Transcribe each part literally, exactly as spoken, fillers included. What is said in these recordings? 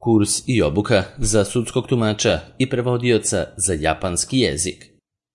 Kurs i obuka za sudskog tumača i prevodioca za japanski jezik.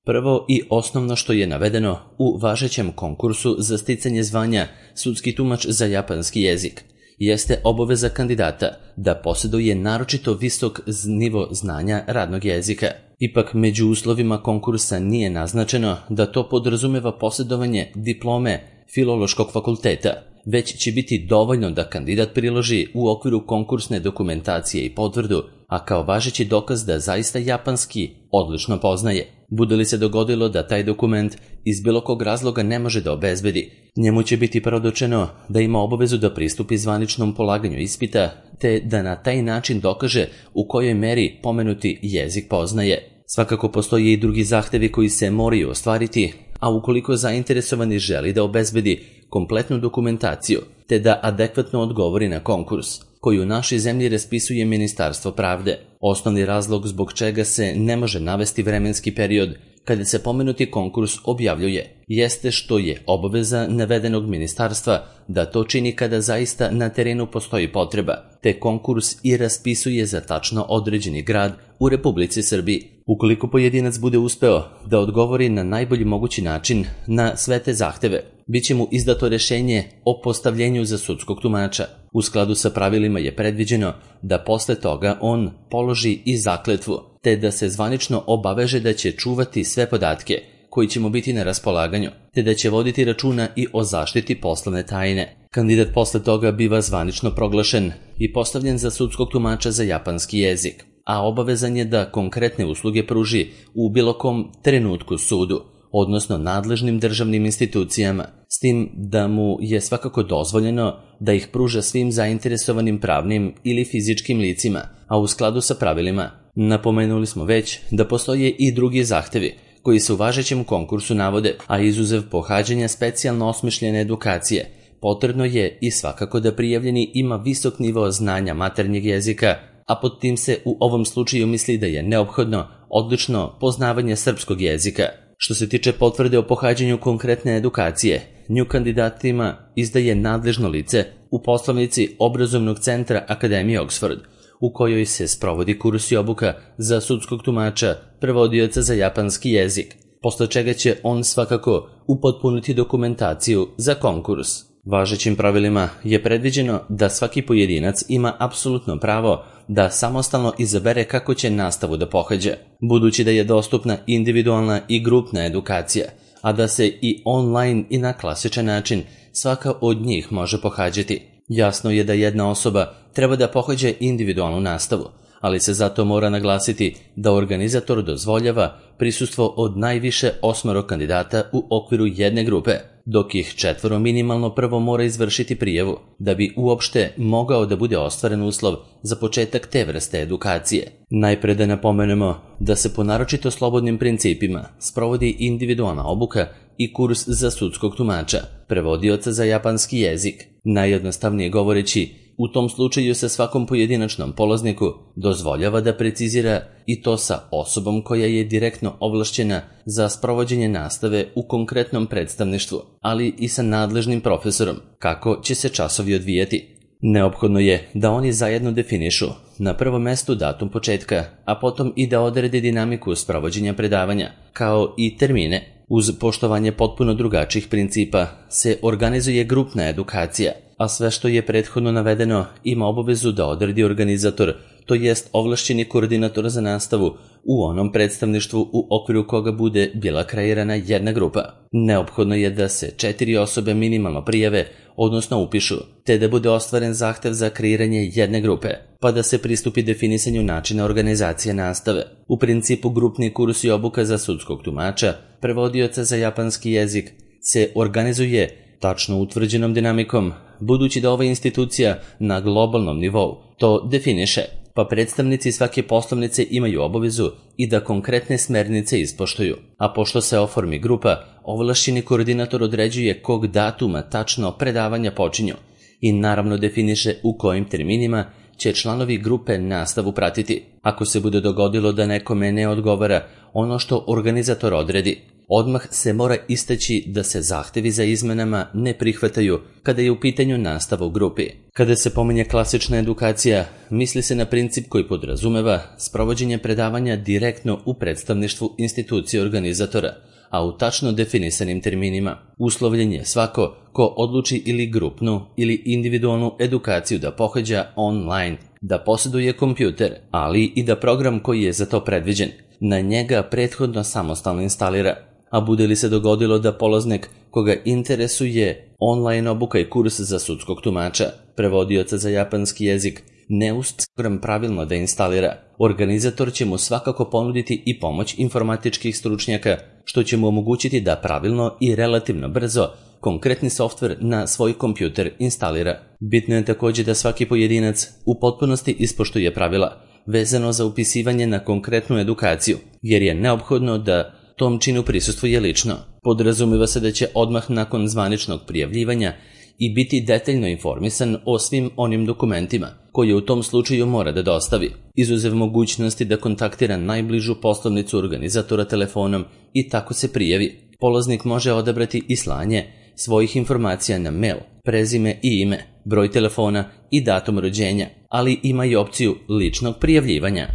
Prvo i osnovno što je navedeno u važećem konkursu za sticanje zvanja sudski tumač za japanski jezik jeste obaveza kandidata da posjeduje naročito visok nivo znanja radnog jezika. Ipak među uslovima konkursa nije naznačeno da to podrazumeva posjedovanje diplome Filološkog fakulteta, već će biti dovoljno da kandidat priloži u okviru konkursne dokumentacije i potvrdu, a kao važeći dokaz da zaista japanski odlično poznaje. Bude li se dogodilo da taj dokument iz bilo kog razloga ne može da obezbedi, njemu će biti predočeno da ima obavezu da pristupi zvaničnom polaganju ispita, te da na taj način dokaže u kojoj meri pomenuti jezik poznaje. Svakako postoje i drugi zahtevi koji se moraju ostvariti, a ukoliko zainteresovani želi da obezbedi kompletnu dokumentaciju, te da adekvatno odgovori na konkurs, koji u našoj zemlji raspisuje Ministarstvo pravde. Osnovni razlog zbog čega se ne može navesti vremenski period kada se pomenuti konkurs objavljuje, jeste što je obaveza navedenog ministarstva da to čini kada zaista na terenu postoji potreba, te konkurs i raspisuje za tačno određeni grad u Republici Srbiji. Ukoliko pojedinac bude uspeo da odgovori na najbolji mogući način na sve te zahteve, bit će mu izdato rešenje o postavljenju za sudskog tumača. U skladu sa pravilima je predviđeno da posle toga on položi i zakletvu, te da se zvanično obaveže da će čuvati sve podatke koji će mu biti na raspolaganju, te da će voditi računa i o zaštiti poslovne tajne. Kandidat posle toga biva zvanično proglašen i postavljen za sudskog tumača za japanski jezik, a obavezan je da konkretne usluge pruži u bilo kom trenutku sudu, odnosno nadležnim državnim institucijama, s tim da mu je svakako dozvoljeno da ih pruža svim zainteresovanim pravnim ili fizičkim licima, a u skladu sa pravilima. Napomenuli smo već da postoje i drugi zahtevi koji se u važećem konkursu navode, a izuzev pohađanja specijalno osmišljene edukacije, potrebno je i svakako da prijavljeni ima visok nivo znanja maternjeg jezika, a pod tim se u ovom slučaju misli da je neophodno odlično poznavanje srpskog jezika. Što se tiče potvrde o pohađanju konkretne edukacije, nju kandidatima izdaje nadležno lice u poslovnici obrazovnog centra Akademije Oxford, u kojoj se sprovodi kurs i obuka za sudskog tumača, prevodioca za japanski jezik, posle čega će on svakako upotpuniti dokumentaciju za konkurs. Važećim pravilima je predviđeno da svaki pojedinac ima apsolutno pravo da samostalno izabere kako će nastavu da pohađa, budući da je dostupna individualna i grupna edukacija, a da se i online i na klasičan način svaka od njih može pohađati. Jasno je da jedna osoba treba da pohađa individualnu nastavu, ali se zato mora naglasiti da organizator dozvoljava prisustvo od najviše osmoro kandidata u okviru jedne grupe, dok ih četvoro minimalno prvo mora izvršiti prijavu, da bi uopšte mogao da bude ostvaren uslov za početak te vrste edukacije. Najpre da napomenemo da se po naročito slobodnim principima sprovodi individualna obuka i kurs za sudskog tumača, prevodioca za japanski jezik. Najjednostavnije govoreći, u tom slučaju se svakom pojedinačnom polazniku dozvoljava da precizira i to sa osobom koja je direktno ovlašćena za sprovođenje nastave u konkretnom predstavništvu, ali i sa nadležnim profesorom, kako će se časovi odvijati. Neophodno je da oni zajedno definišu na prvom mestu datum početka, a potom i da odrede dinamiku sprovođenja predavanja, kao i termine. Uz poštovanje potpuno drugačijih principa se organizuje grupna edukacija, a sve što je prethodno navedeno ima obavezu da odredi organizator, to jest ovlašćeni koordinator za nastavu u onom predstavništvu u okviru koga bude bila kreirana jedna grupa. Neophodno je da se četiri osobe minimalno prijave, odnosno upišu, te da bude ostvaren zahtev za kreiranje jedne grupe, pa da se pristupi definisanju načina organizacije nastave. U principu grupni kurs i obuka za sudskog tumača, prevodioca za japanski jezik, se organizuje tačno utvrđenom dinamikom, budući da ova institucija na globalnom nivou to definiše, pa predstavnici svake poslovnice imaju obavezu i da konkretne smernice ispoštuju, a pošto se oformi grupa, ovlašćeni koordinator određuje kog datuma tačno predavanja počinju i naravno definiše u kojim terminima će članovi grupe nastavu pratiti. Ako se bude dogodilo da nekome ne odgovara ono što organizator odredi, Odmah se mora istaći da se zahtevi za izmenama ne prihvataju kada je u pitanju nastava u grupi. Kada se pominje klasična edukacija, misli se na princip koji podrazumeva sprovođenje predavanja direktno u predstavništvu institucije organizatora, a u tačno definisanim terminima. Uslovljen je svako ko odluči ili grupnu ili individualnu edukaciju da pohađa online, da posjeduje kompjuter, ali i da program koji je za to predviđen na njega prethodno samostalno instalira. A bude li se dogodilo da polaznik koga interesuje online obuka i kurs za sudskog tumača, prevodioca za japanski jezik, ne uspe program pravilno da instalira, organizator će mu svakako ponuditi i pomoć informatičkih stručnjaka, što će mu omogućiti da pravilno i relativno brzo konkretni softver na svoj kompjuter instalira. Bitno je također da svaki pojedinac u potpunosti ispoštuje pravila vezano za upisivanje na konkretnu edukaciju, jer je neophodno da tom činu prisustvuje lično. Podrazumeva se da će odmah nakon zvaničnog prijavljivanja i biti detaljno informisan o svim onim dokumentima koje u tom slučaju mora da dostavi, izuzev mogućnosti da kontaktira najbližu poslovnicu organizatora telefonom i tako se prijavi. Polaznik može odabrati i slanje svojih informacija na mail, prezime i ime, broj telefona i datum rođenja, ali ima i opciju ličnog prijavljivanja.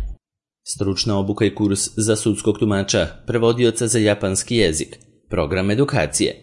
Stručna obuka i kurs za sudskog tumača, prevodioca za japanski jezik, program edukacije.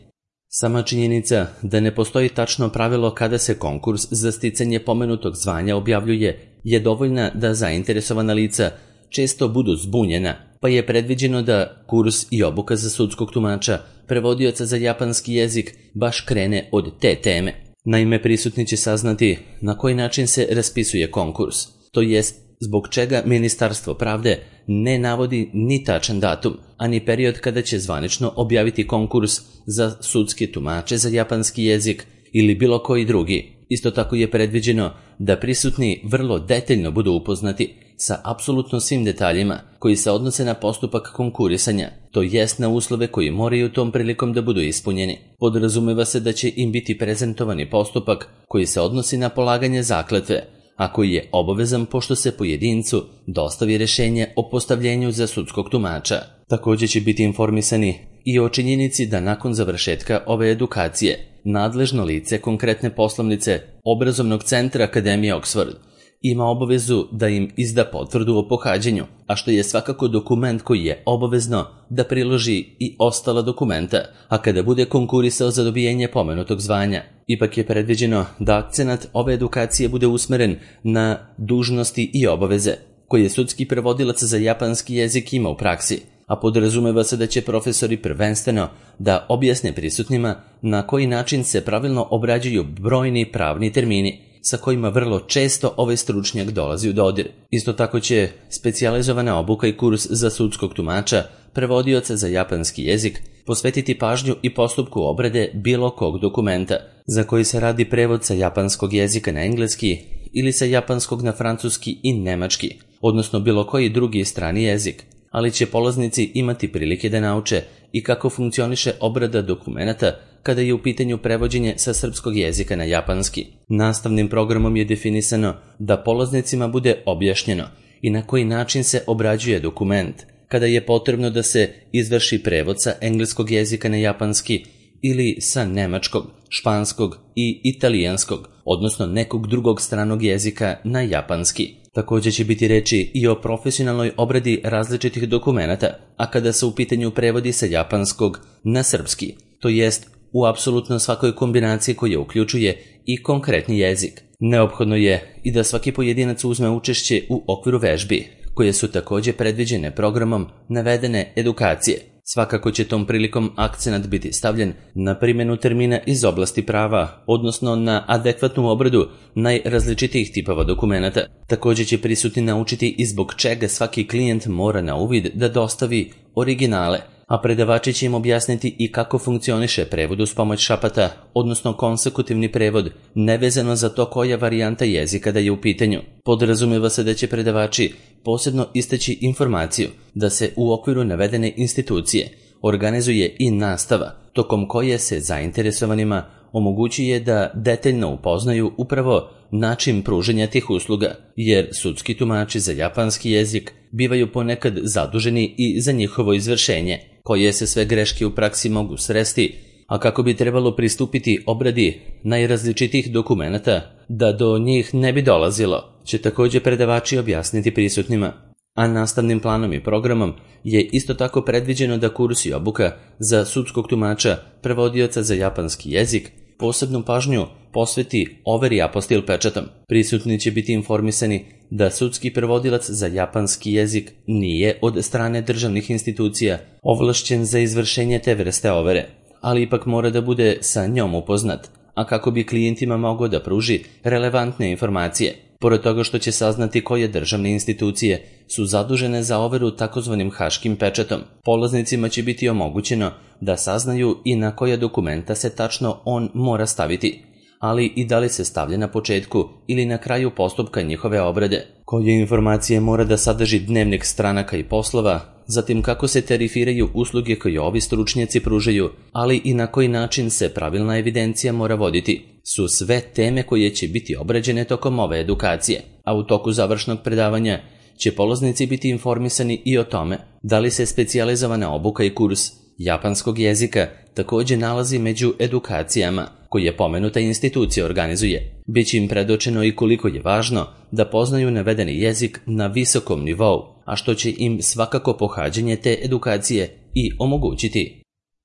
Sama činjenica da ne postoji tačno pravilo kada se konkurs za sticanje pomenutog zvanja objavljuje je dovoljna da zainteresovana lica često budu zbunjena, pa je predviđeno da kurs i obuka za sudskog tumača, prevodioca za japanski jezik, baš krene od te teme. Naime, prisutni će saznati na koji način se raspisuje konkurs, to jest zbog čega Ministarstvo pravde ne navodi ni tačan datum, ani period kada će zvanično objaviti konkurs za sudske tumače za japanski jezik ili bilo koji drugi. Isto tako je predviđeno da prisutni vrlo detaljno budu upoznati sa apsolutno svim detaljima koji se odnose na postupak konkurisanja, to jest na uslove koji moraju tom prilikom da budu ispunjeni. Podrazumeva se da će im biti prezentovani postupak koji se odnosi na polaganje zakletve, a koji je obavezan pošto se pojedincu dostavi rješenje o postavljenju za sudskog tumača. Također će biti informisani i o činjenici da nakon završetka ove edukacije nadležno lice konkretne poslovnice obrazovnog centra Akademije Oxford ima obavezu da im izda potvrdu o pohađanju, a što je svakako dokument koji je obavezno da priloži i ostala dokumenta, a kada bude konkurisao za dobijenje pomenutog zvanja. Ipak je predviđeno da akcenat ove edukacije bude usmeren na dužnosti i obaveze koje sudski prevodilac za japanski jezik ima u praksi, a podrazumeva se da će profesori prvenstveno da objasne prisutnima na koji način se pravilno obrađuju brojni pravni termini sa kojima vrlo često ovaj stručnjak dolazi u dodir. Isto tako će specijalizovana obuka i kurs za sudskog tumača, prevodioca za japanski jezik, posvetiti pažnju i postupku obrade bilo kog dokumenta za koji se radi prevod sa japanskog jezika na engleski ili sa japanskog na francuski i nemački, odnosno bilo koji drugi strani jezik, ali će polaznici imati prilike da nauče i kako funkcioniše obrada dokumenata kada je u pitanju prevođenje sa srpskog jezika na japanski. Nastavnim programom je definisano da polaznicima bude objašnjeno i na koji način se obrađuje dokument, kada je potrebno da se izvrši prevod sa engleskog jezika na japanski ili sa nemačkog, španskog i italijanskog, odnosno nekog drugog stranog jezika na japanski. Također će biti reči i o profesionalnoj obradi različitih dokumenata, a kada se u pitanju prevodi sa japanskog na srpski, to jest u apsolutno svakoj kombinaciji koja uključuje i konkretni jezik. Neophodno je i da svaki pojedinac uzme učešće u okviru vežbi, koje su također predviđene programom navedene edukacije. Svakako će tom prilikom akcenat biti stavljen na primjenu termina iz oblasti prava, odnosno na adekvatnu obradu najrazličitijih tipova dokumenata. Također će prisutni naučiti i zbog čega svaki klijent mora na uvid da dostavi originale, a predavači će im objasniti i kako funkcioniše prevod uz pomoć šapata, odnosno konsekutivni prevod, nevezano za to koja varijanta jezika da je u pitanju. Podrazumeva se da će predavači posebno istaći informaciju da se u okviru navedene institucije organizuje i nastava, tokom koje se zainteresovanima omogućuje da detaljno upoznaju upravo način pruženja tih usluga, jer sudski tumači za japanski jezik bivaju ponekad zaduženi i za njihovo izvršenje. koje se sve greške u praksi mogu sresti, a kako bi trebalo pristupiti obradi najrazličitijih dokumenata da do njih ne bi dolazilo, će također predavači objasniti prisutnima. A nastavnim planom i programom je isto tako predviđeno da kurs i obuka za sudskog tumača, prevodioca za japanski jezik, posebnu pažnju posveti overi apostil pečatom. Prisutni će biti informisani da sudski prevodilac za japanski jezik nije od strane državnih institucija ovlašćen za izvršenje te vrste overe, ali ipak mora da bude sa njom upoznat, a kako bi klijentima mogao da pruži relevantne informacije. Pored toga što će saznati koje državne institucije su zadužene za overu takozvanim haškim pečatom, polaznicima će biti omogućeno da saznaju i na koja dokumenta se tačno on mora staviti, ali i da li se stavlja na početku ili na kraju postupka njihove obrade, koje informacije mora da sadrži dnevnik stranaka i poslova, zatim kako se tarifiraju usluge koje ovi stručnjaci pružaju, ali i na koji način se pravilna evidencija mora voditi, su sve teme koje će biti obrađene tokom ove edukacije, a u toku završnog predavanja će polaznici biti informisani i o tome da li se specijalizovana obuka i kurs japanskog jezika također nalazi među edukacijama koje pomenuta institucija organizuje. Biće im predočeno i koliko je važno da poznaju navedeni jezik na visokom nivou, a što će im svakako pohađanje te edukacije i omogućiti.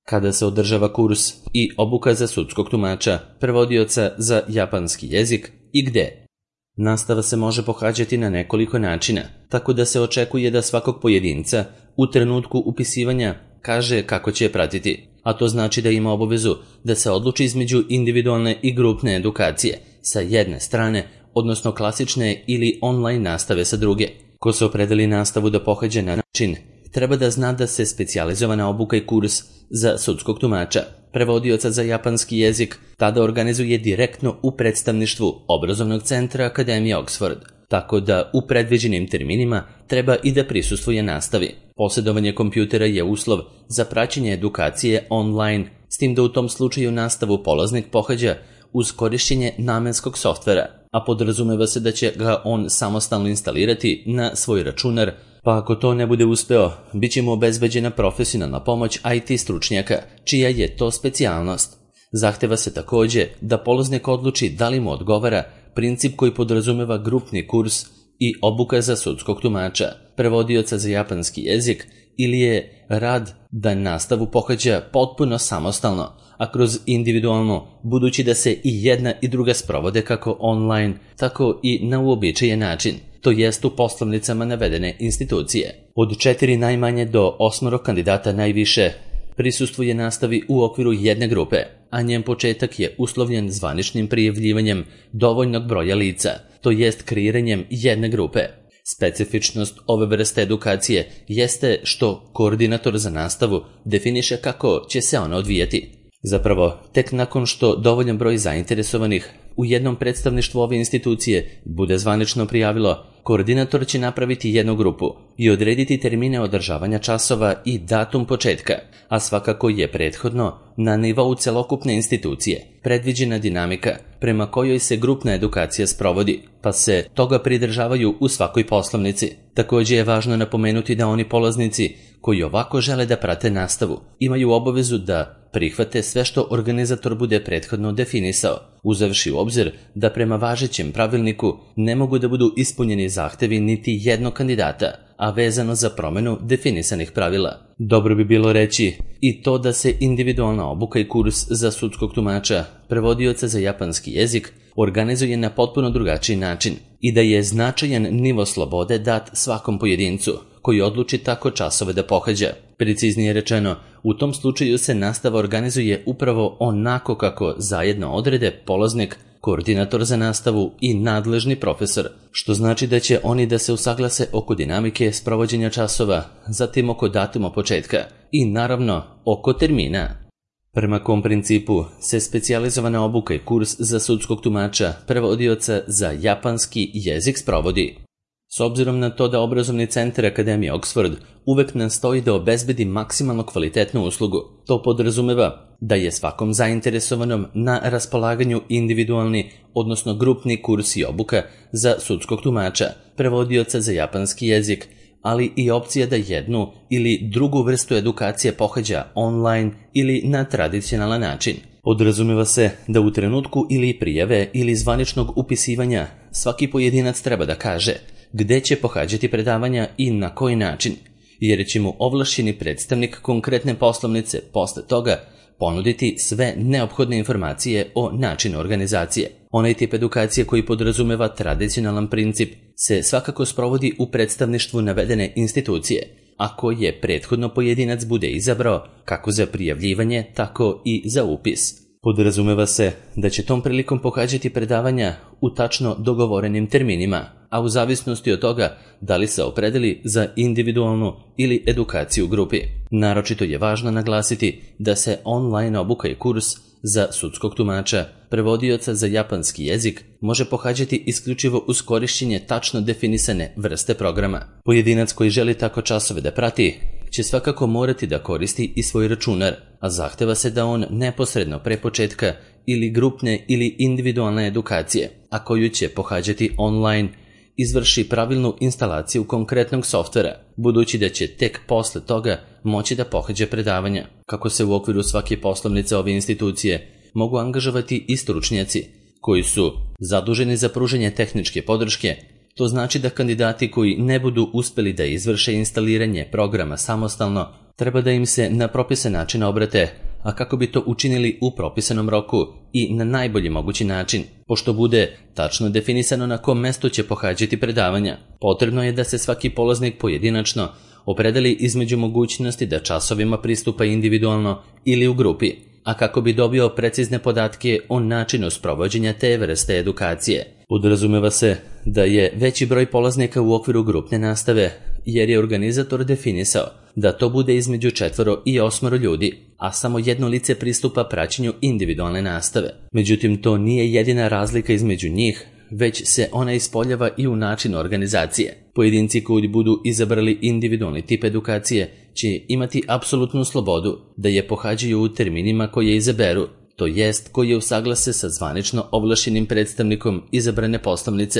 Kada se održava kurs i obuka za sudskog tumača, prevodioca za japanski jezik i gde? Nastava se može pohađati na nekoliko načina, tako da se očekuje da svakog pojedinca u trenutku upisivanja kaže kako će je pratiti, a to znači da ima obavezu da se odluči između individualne i grupne edukacije sa jedne strane, odnosno klasične ili online nastave sa druge. Ko se opredeli nastavu da pohađa na način, treba da zna da se specijalizovana obuka i kurs za sudskog tumača, prevodioca za japanski jezik, tada organizuje direktno u predstavništvu obrazovnog centra Akademije Oxford, tako da u predviđenim terminima treba i da prisustvuje nastavi. Posjedovanje kompjutera je uslov za praćenje edukacije online, s tim da u tom slučaju nastavu polaznik pohađa uz korišćenje namenskog softvera, a podrazumeva se da će ga on samostalno instalirati na svoj računar, pa ako to ne bude uspeo, bit će mu obezbeđena profesionalna pomoć I T stručnjaka, čija je to specijalnost. Zahteva se također da polaznik odluči da li mu odgovara princip koji podrazumeva grupni kurs i obuka za sudskog tumača, prevodioca za japanski jezik, ili je rad da nastavu pohađa potpuno samostalno, a kroz individualno, budući da se i jedna i druga sprovode kako online, tako i na uobičajen način, to jest u poslovnicama navedene institucije. Od četiri najmanje do osmoro kandidata najviše prisustvuje nastavi u okviru jedne grupe, a njen početak je uslovljen zvaničnim prijavljivanjem dovoljnog broja lica, to jest kreiranjem jedne grupe. Specifičnost ove vrste edukacije jeste što koordinator za nastavu definiše kako će se ona odvijati. Zapravo, tek nakon što dovoljan broj zainteresovanih u jednom predstavništvu ove institucije bude zvanično prijavilo, koordinator će napraviti jednu grupu i odrediti termine održavanja časova i datum početka, a svakako je prethodno na nivou celokupne institucije predviđena dinamika prema kojoj se grupna edukacija sprovodi, pa se toga pridržavaju u svakoj poslovnici. Također je važno napomenuti da oni polaznici koji ovako žele da prate nastavu imaju obavezu da prihvate sve što organizator bude prethodno definisao, uzevši u obzir da prema važećem pravilniku ne mogu da budu ispunjeni zahtevi niti jednog kandidata, a vezano za promenu definisanih pravila. Dobro bi bilo reći i to da se individualna obuka i kurs za sudskog tumača, prevodioca za japanski jezik, organizuje na potpuno drugačiji način i da je značajan nivo slobode dat svakom pojedincu koji odluči tako časove da pohađa. Preciznije rečeno, u tom slučaju se nastava organizuje upravo onako kako zajedno odrede polaznik, koordinator za nastavu i nadležni profesor, što znači da će oni da se usaglase oko dinamike sprovođenja časova, zatim oko datuma početka i naravno oko termina. Prema kom principu se specijalizovana obuka i kurs za sudskog tumača, prevodioca za japanski jezik sprovodi. S obzirom na to da obrazovni centar Akademije Oxford uvek nastoji da obezbedi maksimalno kvalitetnu uslugu, to podrazumeva da je svakom zainteresovanom na raspolaganju individualni, odnosno grupni kurs i obuka za sudskog tumača, prevodioca za japanski jezik, ali i opcija da jednu ili drugu vrstu edukacije pohađa online ili na tradicionalan način. Podrazumeva se da u trenutku ili prijave ili zvaničnog upisivanja svaki pojedinac treba da kaže gde će pohađati predavanja i na koji način, jer će mu ovlašćeni predstavnik konkretne poslovnice posle toga ponuditi sve neophodne informacije o načinu organizacije. Onaj tip edukacije koji podrazumeva tradicionalan princip se svakako sprovodi u predstavništvu navedene institucije, ako je prethodno pojedinac bude izabrao kako za prijavljivanje, tako i za upis. Podrazumeva se da će tom prilikom pohađati predavanja u tačno dogovorenim terminima, a u zavisnosti od toga da li se opredeli za individualnu ili edukaciju u grupi. Naročito je važno naglasiti da se online obuka i kurs za sudskog tumača, prevodioca za japanski jezik, može pohađati isključivo uz korišćenje tačno definisane vrste programa. Pojedinac koji želi tako časove da prati će svakako morati da koristi i svoj računar, a zahteva se da on neposredno pre početka ili grupne ili individualne edukacije, a koju će pohađati online, izvrši pravilnu instalaciju konkretnog softvera, budući da će tek posle toga moći da pohađa predavanja. Kako se u okviru svake poslovnice ove institucije mogu angažovati i stručnjaci koji su zaduženi za pružanje tehničke podrške, to znači da kandidati koji ne budu uspeli da izvrše instaliranje programa samostalno, treba da im se na propisan način obrate, a kako bi to učinili u propisanom roku i na najbolji mogući način, pošto bude tačno definisano na kom mestu će pohađati predavanja. Potrebno je da se svaki polaznik pojedinačno opredeli između mogućnosti da časovima pristupa individualno ili u grupi, a kako bi dobio precizne podatke o načinu sprovođenja te vrste edukacije. Podrazumeva se da je veći broj polaznika u okviru grupne nastave, jer je organizator definisao da to bude između četvoro i osmoro ljudi, a samo jedno lice pristupa praćenju individualne nastave. Međutim, to nije jedina razlika između njih, već se ona ispoljava i u načinu organizacije. Pojedinci koji budu izabrali individualni tip edukacije će imati apsolutnu slobodu da je pohađaju u terminima koje izaberu, to jest koji je usaglase sa zvanično ovlašćenim predstavnikom izabrane poslovnice,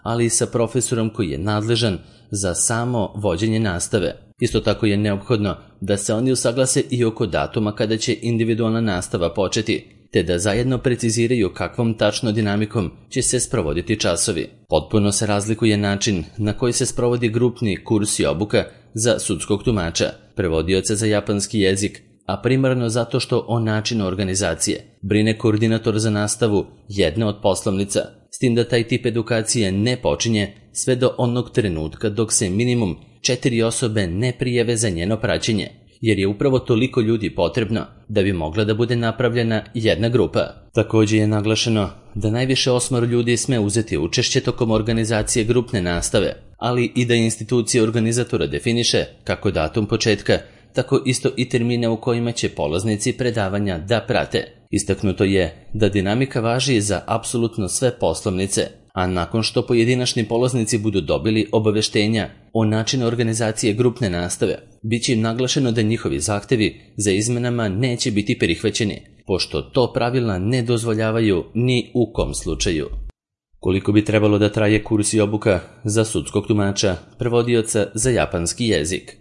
ali i sa profesorom koji je nadležan za samo vođenje nastave. Isto tako je neophodno da se oni usaglase i oko datuma kada će individualna nastava početi, te da zajedno preciziraju kakvom tačno dinamikom će se sprovoditi časovi. Potpuno se razlikuje način na koji se sprovodi grupni kurs i obuka za sudskog tumača, prevodioca za japanski jezik, a primarno zato što o načinu organizacije brine koordinator za nastavu jedne od poslovnica, s tim da taj tip edukacije ne počinje sve do onog trenutka dok se minimum četiri osobe ne prijave za njeno praćenje, jer je upravo toliko ljudi potrebno da bi mogla da bude napravljena jedna grupa. Također je naglašeno da najviše osmoro ljudi sme uzeti učešće tokom organizacije grupne nastave, ali i da institucija organizatora definiše kako datum početka, tako isto i termine u kojima će polaznici predavanja da prate. Istaknuto je da dinamika važi za apsolutno sve poslovnice, a nakon što pojedinačni polaznici budu dobili obaveštenja o načinu organizacije grupne nastave, bit će im naglašeno da njihovi zahtevi za izmenama neće biti prihvaćeni, pošto to pravila ne dozvoljavaju ni u kom slučaju. Koliko bi trebalo da traje kurs i obuka za sudskog tumača, prevodioca za japanski jezik?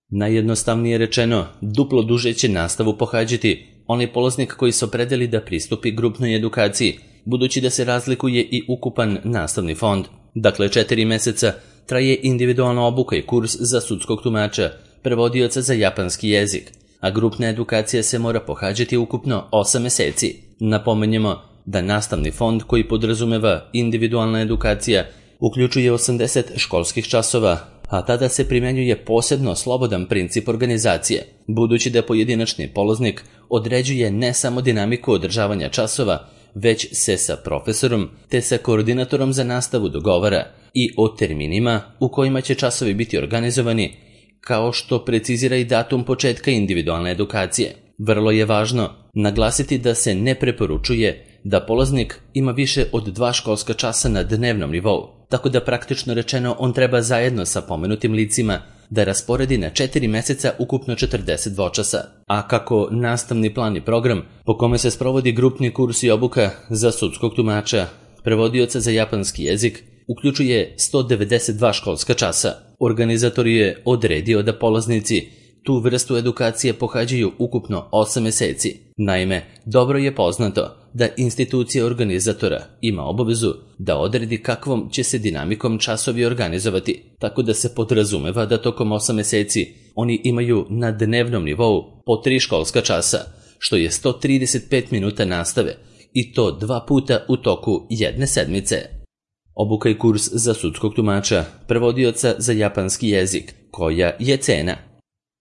Najjednostavnije rečeno, duplo duže će nastavu pohađati onaj polaznik koji se opredeli da pristupi grupnoj edukaciji, budući da se razlikuje i ukupan nastavni fond. Dakle, četiri meseca traje individualna obuka i kurs za sudskog tumača, prevodioca za japanski jezik, a grupna edukacija se mora pohađati ukupno osam meseci. Napomenjemo da nastavni fond koji podrazumeva individualna edukacija uključuje osamdeset školskih časova, a tada se primjenjuje posebno slobodan princip organizacije, budući da pojedinačni polaznik određuje ne samo dinamiku održavanja časova, već se sa profesorom te sa koordinatorom za nastavu dogovara i o terminima u kojima će časovi biti organizovani, kao što precizira i datum početka individualne edukacije. Vrlo je važno naglasiti da se ne preporučuje da polaznik ima više od dva školska časa na dnevnom nivou, tako da praktično rečeno on treba zajedno sa pomenutim licima da rasporedi na četiri meseca ukupno četrdeset dvočasa. A kako nastavni plan i program po kome se sprovodi grupni kurs i obuka za sudskog tumača, prevodioca za japanski jezik, uključuje sto devedeset dva školska časa. Organizator je odredio da polaznici tu vrstu edukacije pohađaju ukupno osam meseci. Naime, dobro je poznato da institucija organizatora ima obavezu da odredi kakvom će se dinamikom časovi organizovati, tako da se podrazumeva da tokom osam meseci oni imaju na dnevnom nivou po tri školska časa, što je sto trideset pet minuta nastave, i to dva puta u toku jedne sedmice. Obuka i kurs za sudskog tumača, prevodioca za japanski jezik, koja je cena.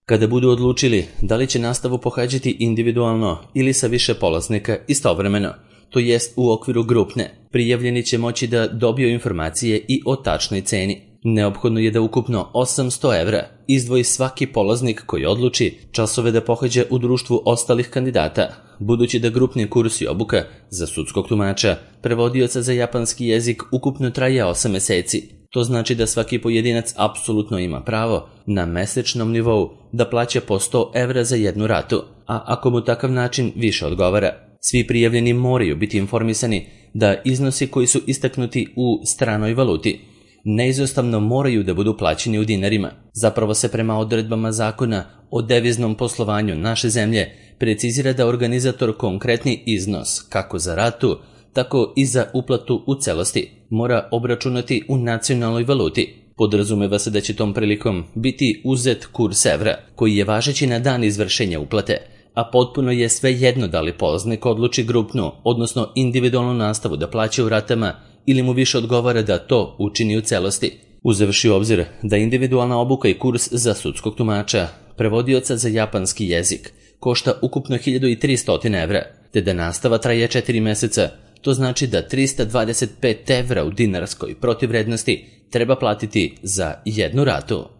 Kada budu odlučili da li će nastavu pohađati individualno ili sa više polaznika istovremeno, to jest u okviru grupne, prijavljeni će moći da dobiju informacije i o tačnoj ceni. Neophodno je da ukupno osamsto evra izdvoji svaki polaznik koji odluči časove da pohađa u društvu ostalih kandidata, budući da grupni kurs i obuka za sudskog tumača, prevodioca za japanski jezik ukupno traje osam meseci. To znači da svaki pojedinac apsolutno ima pravo na mesečnom nivou da plaća po sto evra za jednu ratu, a ako mu takav način više odgovara. Svi prijavljeni moraju biti informisani da iznosi koji su istaknuti u stranoj valuti neizostavno moraju da budu plaćeni u dinarima. Zapravo se prema odredbama zakona o deviznom poslovanju naše zemlje precizira da organizator konkretni iznos, kako za ratu, tako i za uplatu u celosti, mora obračunati u nacionalnoj valuti. Podrazumeva se da će tom prilikom biti uzet kurs evra, koji je važeći na dan izvršenja uplate, a potpuno je svejedno da li polaznik odluči grupnu, odnosno individualnu nastavu da plaća u ratama ili mu više odgovara da to učini u celosti. Uzevši u obzir da individualna obuka i kurs za sudskog tumača, prevodioca za japanski jezik, košta ukupno hiljadu tristo evra, te da nastava traje četiri meseca, to znači da trista dvadeset pet evra u dinarskoj protivvrednosti treba platiti za jednu ratu.